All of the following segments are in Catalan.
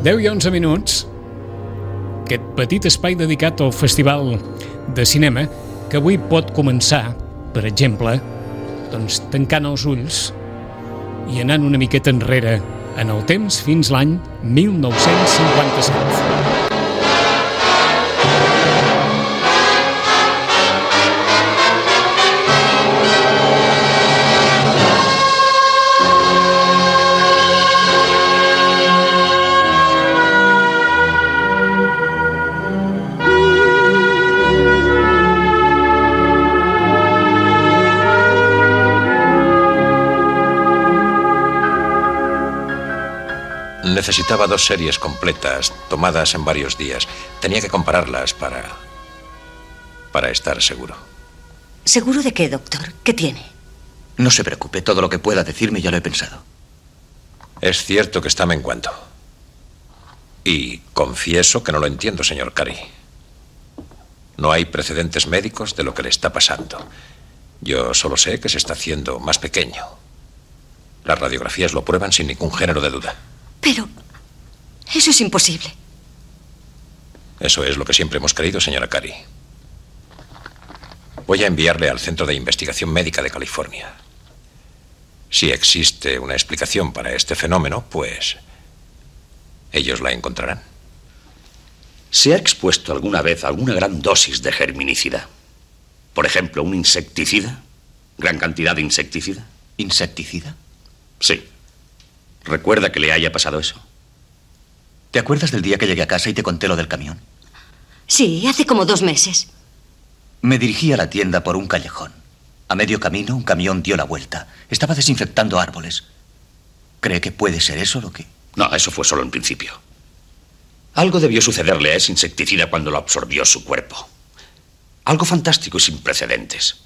10 i 11 minuts, aquest petit espai dedicat al Festival de Cinema, que avui pot començar, per exemple, doncs tancant els ulls i anant una miqueta enrere en el temps fins l'any 1957. Necesitaba 2 series completas, tomadas en varios días. Tenía que compararlas para estar seguro. ¿Seguro de qué, doctor? ¿Qué tiene? No se preocupe, todo lo que pueda decirme ya lo he pensado. Es cierto que está menguando. Y confieso que no lo entiendo, señor Curry. No hay precedentes médicos de lo que le está pasando. Yo solo sé que se está haciendo más pequeño. Las radiografías lo prueban sin ningún género de duda. Pero eso es imposible. Eso es lo que siempre hemos creído, señora Curry. Voy a enviarle al Centro de Investigación Médica de California. Si existe una explicación para este fenómeno, pues ellos la encontrarán. ¿Se ha expuesto alguna vez a alguna gran dosis de germinicida? Por ejemplo, un insecticida. ¿Gran cantidad de insecticida? ¿Insecticida? Sí. ¿Recuerda que le haya pasado eso? ¿Te acuerdas del día que llegué a casa y te conté lo del camión? Sí, hace como 2 meses. Me dirigí a la tienda por un callejón. A medio camino, un camión dio la vuelta. Estaba desinfectando árboles. ¿Cree que puede ser eso lo que...? No, eso fue solo en principio. Algo debió sucederle a ese insecticida cuando lo absorbió su cuerpo. Algo fantástico y sin precedentes.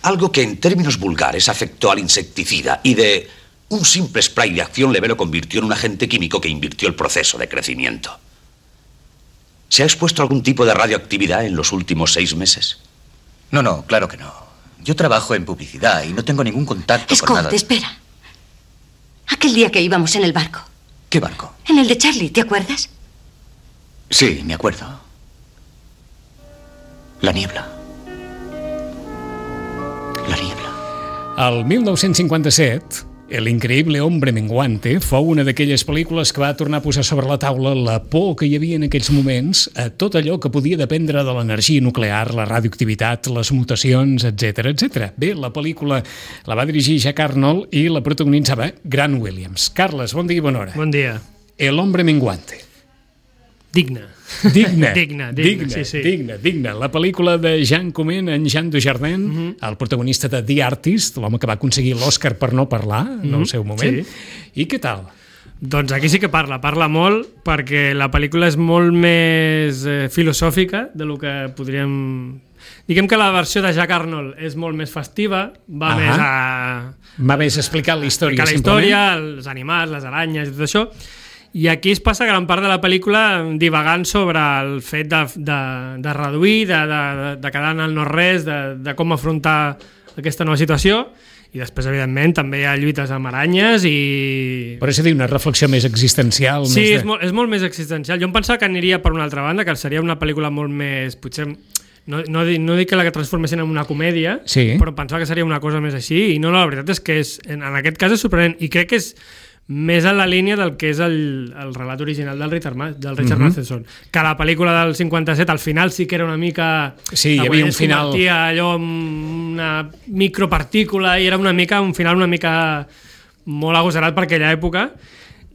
Algo que en términos vulgares afectó al insecticida y de un simple spray de acción leve lo convirtió en un agente químico que invirtió el proceso de crecimiento. ¿Se ha expuesto a algún tipo de radioactividad en los últimos 6 meses? No, claro que no. Yo trabajo en publicidad y no tengo ningún contacto con nada. Scott, espera. Aquel día que íbamos en el barco. ¿Qué barco? En el de Charlie, ¿te acuerdas? Sí, me acuerdo. La niebla. La niebla. Al 1957, El increïble hombre menguante fou una d'aquelles pel·lícules que va tornar a posar sobre la taula la por que hi havia en aquells moments a tot allò que podia dependre de l'energia nuclear, la radioactivitat, les mutacions, etc etc. Bé, la pel·lícula la va dirigir Jack Arnold i la protagonitzava Grant Williams. Carles, bon dia i bona hora. Bon dia. El hombre menguante. Digna. Digna. La pel·lícula de Jean Comment en Jean Dujardin, el protagonista de The Artist, l'home que va aconseguir l'Oscar per no parlar en el seu moment. Sí. I què tal? Doncs aquí sí que parla molt, perquè la pel·lícula és molt més filosòfica de lo que podríem... Diguem que la versió de Jack Arnold és molt més festiva, va més a explicar la història, els animals, les aranyes i tot això. I aquí es passa gran part de la pel·lícula divagant sobre el fet de reduir, de quedar en el no-res, de com afrontar aquesta nova situació, i després, evidentment, també hi ha lluites amb aranyes i... Però és a dir, una reflexió més existencial. Sí, és molt més existencial. Jo em pensava que aniria per una altra banda, que seria una pel·lícula molt més... Potser no dic que la transformessin en una comèdia, però pensava que seria una cosa més així, i no, la veritat és que en aquest cas és sorprenent, i crec que és més en la línia del que és el relat original del Richard Matheson, que la pel·lícula del 57 al final sí que era una mica... Sí, hi havia un final... convertia allò en una micropartícula i era un final una mica molt agosarat per aquella època,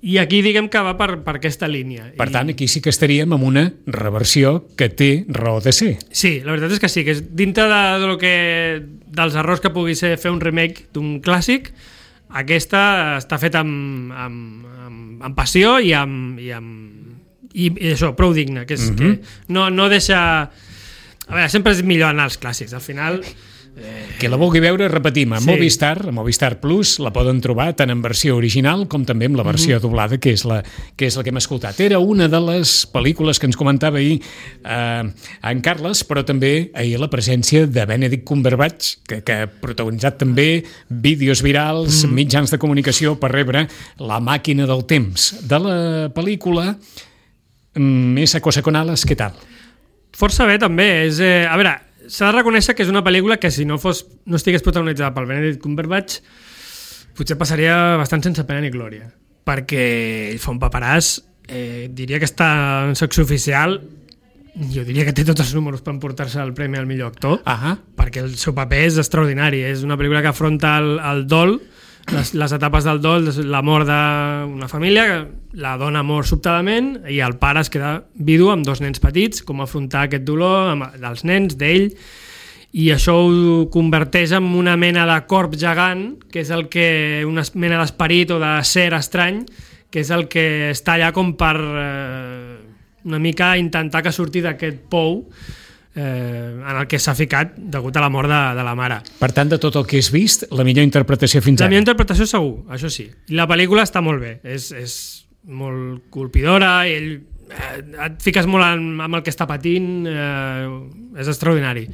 i aquí diguem que va per aquesta línia. Per tant, aquí sí que estaríem amb una reversió que té raó de ser. Sí, la veritat és que sí, que és dintre dels errors que pugui ser fer un remake d'un clàssic. Aquesta està feta amb passió i això, prou digna, que no deixa... A veure, sempre és millor anar als clàssics. Al final, Que la vulgui veure, repetim, a Movistar Plus la poden trobar tant en versió original com també en la versió doblada, que és la que hem escoltat. Era una de les pel·lícules que ens comentava ahir en Carles, però també ahir la presència de Benedict Cumberbatch, que ha protagonitzat també vídeos virals, mitjans de comunicació per rebre La màquina del temps. De la pel·lícula Esa cosa con alas, què tal? Força bé, també. A veure, s'ha de reconèixer que és una pel·lícula que si no estigués protagonitzada pel Benedict Cumberbatch potser passaria bastant sense pena ni glòria, perquè ell fa un paperàs, diria que està en secció oficial, jo diria que té tots els números per emportar-se el premi al millor actor, perquè el seu paper és extraordinari. És una pel·lícula que afronta el dol, les etapes del dol, la mort d'una família, la dona mor sobtadament i el pare es queda vidu amb 2 nens petits, com afrontar aquest dolor dels nens, d'ell, i això ho converteix en una mena de corp gegant, que és el que una mena d'esperit o de ser estrany, que és el que està allà com per una mica intentar que surti d'aquest pou en el que s'ha ficat degut a la mort de la mare. Per tant, de tot el que has vist, la millor interpretació fins ara? La millor interpretació segur, això sí. I la pel·lícula està molt bé, és molt colpidora, i et fiques molt amb el que està patint, és extraordinari.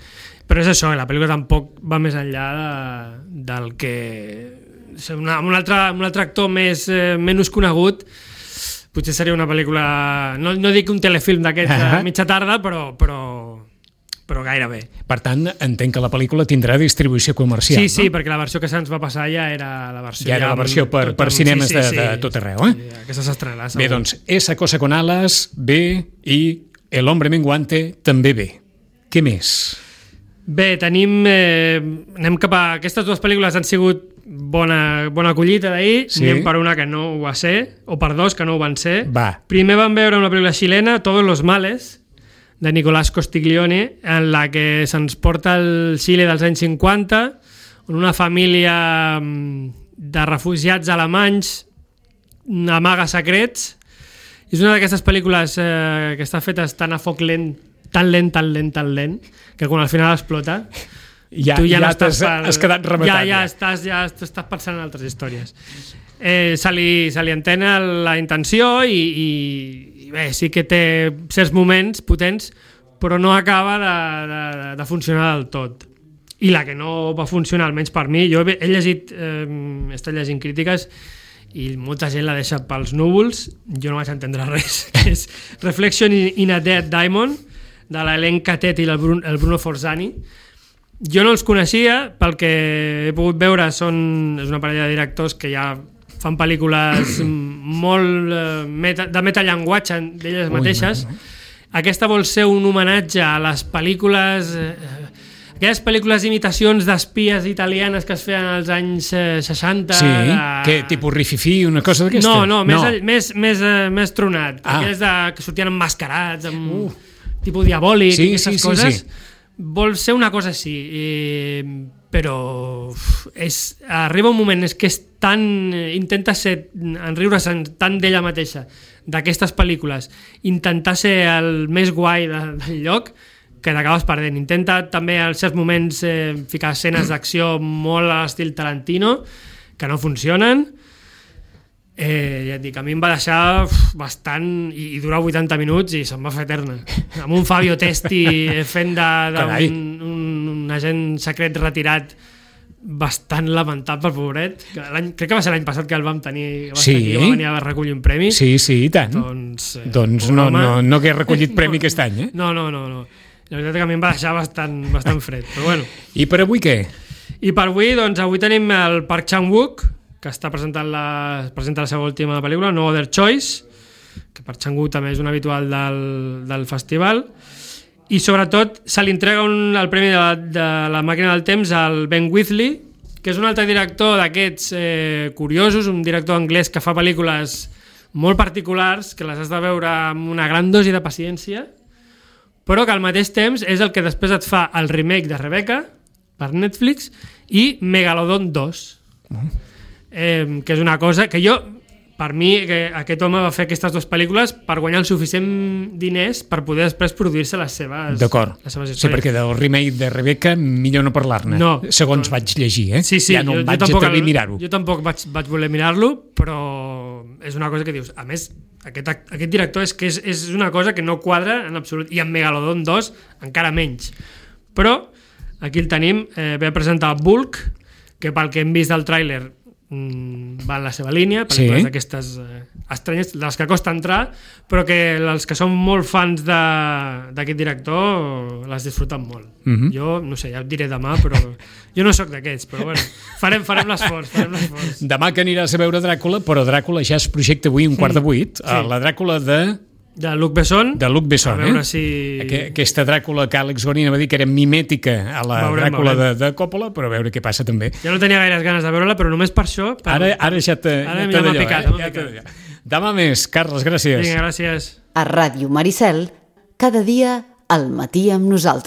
Però és això, la pel·lícula tampoc va més enllà del que... Amb un altre actor menys conegut, potser seria una pel·lícula... No dic un telefilm d'aquest mitja tarda, però gairebé. Per tant, entenc que la pel·lícula tindrà distribució comercial, sí, perquè la versió que se'ns va passar ja era la versió... Ja era la versió per cinemes de tot arreu, Sí, aquesta s'estrenarà, segur. Bé, doncs, Esa cosa con alas, bé, i El hombre menguante, també bé. Què més? Bé, anem cap a... Aquestes 2 pel·lícules han sigut bona collita d'ahir, anem per una que no ho va ser, o per 2 que no ho van ser. Primer vam veure una pel·lícula xilena, Todos los males, de Nicolás Costiglione, en la que se'ns porta el Xile dels anys 50, on una família de refugiats alemanys amaga secrets. És una d'aquestes pel·lícules que està feta tan a foc lent, tan lent, que quan al final explota tu ja no has quedat rematat. Ja estàs pensant en altres històries. Se li entén la intenció i bé, sí que té certs moments potents, però no acaba de funcionar del tot. I la que no va funcionar, almenys per mi, jo he estat llegint crítiques i molta gent la deixa pels núvols, jo no vaig entendre res, que és Reflection in a Dead Diamond, de l'Hélène Catet i el Bruno Forzani. Jo no els coneixia, pel que he pogut veure és una parella de directors que ja fan pel·lícules molt de metallenguatge d'elles mateixes. Aquesta vol ser un homenatge a les pel·lícules, aquelles pel·lícules d'imitacions d'espies italianes que es feien als anys 60. Sí, que tipus rififi, una cosa d'aquesta? No, més tronat. Aquelles que sortien emmascarats, amb tipus diabòlic, aquestes coses. Vol ser una cosa així, però arriba un moment que és tan... intenta ser, enriure-se'n tant d'ella mateixa, d'aquestes pel·lícules, intentar ser el més guai del lloc, que t'acabes perdent. Intenta també en certs moments ficar escenes d'acció molt a l'estil Tarantino, que no funcionen. Ja et dic, a mi em va deixar bastant, i durar 80 minuts i se'm va fer eterna, amb un Fabio Testi fent d'un agent secret retirat bastant lamentable, pobret. Crec que va ser l'any passat que el vam tenir, va venir a recollir un premi. Sí, i tant. Doncs no que he recollit premi aquest any, No. La veritat que a mi em va deixar bastant fred, però bueno. I per avui què? I per avui, doncs avui tenim el Park Chan-wook, que presenta la seva última pel·lícula, No Other Choice, que Park Chan-wook també és un habitual del festival, i sobretot se li entrega el premi de la màquina del temps al Ben Wheatley, que és un altre director d'aquests curiosos, un director anglès que fa pel·lícules molt particulars, que les has de veure amb una gran dosi de paciència, però que al mateix temps és el que després et fa el remake de Rebecca per Netflix i Megalodon 2, que és una cosa que jo per mi aquest home va fer aquestes dues pel·lícules per guanyar el suficient diners per poder després produir-se les seves històries. Sí, perquè del remake de Rebecca millor no parlar-ne, segons vaig llegir, Sí, ja no vaig atrevir a mirar-ho. Jo tampoc vaig voler mirar-lo, però és una cosa que dius, a més, aquest director és una cosa que no quadra en absolut, i en Megalodon 2 encara menys. Però aquí el tenim, ve a presentar Bulk, que pel que hem vist del tràiler va en la seva línia, pel·lícules d'aquestes estranyes, les que costa entrar, però que els que són molt fans d'aquest director les disfruten molt. Jo, no sé, ja et diré demà, però jo no sóc d'aquests, però bueno, farem l'esforç. Demà que aniràs a veure Dràcula, però Dràcula ja es projecta avui 7:15, la Dràcula de Luc Besson. De Luc Besson, a veure si... Aquesta Dràcula que Àlex Gorina va dir que era mimètica a la Dràcula de Coppola, però a veure què passa també. Ja no tenia gaires ganes de veure-la, però només per això... Ara ja m'ha picat. Demà més, Carles, gràcies. Vinga, gràcies. A Ràdio Maricel, cada dia al matí amb nosaltres.